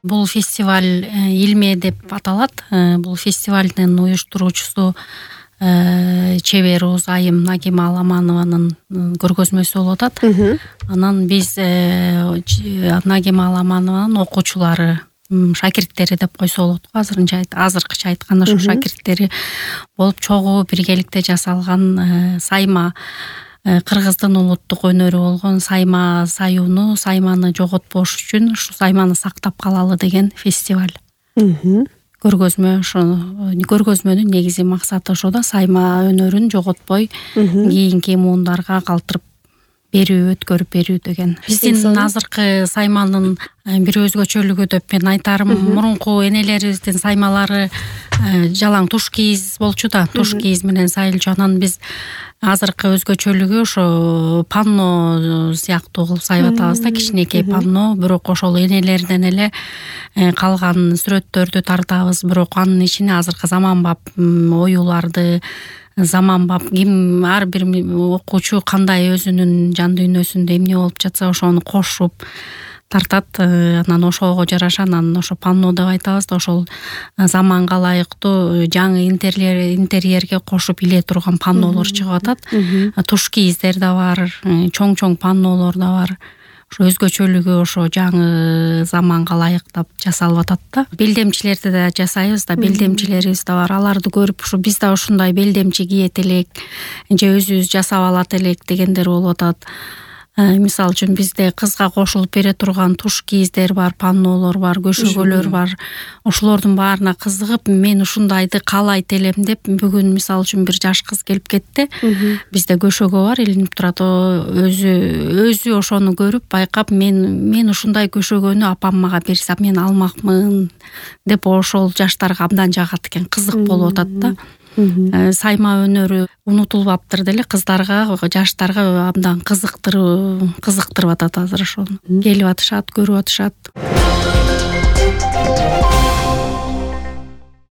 Бул фестиваль Илме деп аталат. Бул фестивалдын уюштуруучусу чебер Айым Нагима Аламанованын көргөзмөсү болуп атат. Анан биз Нагима Аламанованын окуучулары, шакирттери деп койсо болот го. Азыркыча айтканда ошо шакирттери болуп чогуу биргеликте жасалган сайма, кыргыздын улуттук өнөрү болгон сайма саюуну, сайманы жоготпош үчүн ушу сайманы сактап калалы деген фестиваль. Көргөзмө, ошо көргөзмөнүн негизги максаты ошо да, сайма өнөрүн жоготпой кийинки муундарга калтырып берүү, өткөрүп берүү деген. Биздин азыркы сайманын бир өзгөчөлүгү деп мен айтарым, мурунку энелерибиздин саймалары жалаң туш кийиз болчу да, туш кийиз менен сайылчу. Анан биз азыркы өзгөчөлүгү ошо панно сыяктуу кылып сайып атабыз да, кичинекей панно, бирок ошол энелерден эле калган сүрөттөрдү тартабыз, бирок анын ичине азыркы заманбап оюларды, заманбап ким ар бир окуучу кандай өзүнүн жан дүйнөсүндө эмне болуп жатса ошону кошуп тартат. Анан ошого жараша, анан ошо панно деп айтабыз да, ошол заманга ылайыктуу жаңы интерьерге кошуп иле турган паннолор чыгып атат. Туш кийиздер да бар, чоң паннолор да бар. Ошо өзгөчөлүгү ошо жаңы заманга ылайыктап жасалып атат да. Белдемчилерди да жасайбыз да, белдемчилерибиз да бар. Аларды көрүп ушу биз да ушундай белдемчи кийет элек, же өзүбүз жасап алат элек дегендер болуп атат. Мисалы үчүн бизде кызга кошулуп бере турган туш кийиздер бар, паннолор бар, көшөгөлөр бар. Ошолордун баарына кызыгып, мен ушундайды каалайт элем деп, бүгүн мисалы үчүн бир жаш кыз келип кетти. Бизде көшөгө бар, илинип турат. Өзү ошону көрүп, байкап, мен ушундай көшөгөнү апам мага берсе, мен алмакмын деп, ошол жаштарга абдан жагат экен, кызык болуп атат да. Сайма өнөрү унутулбаптыр деле, кыздарга, жаштарга абдан кызыктырып атат азыр ошону. Келип атышат, көрүп атышат.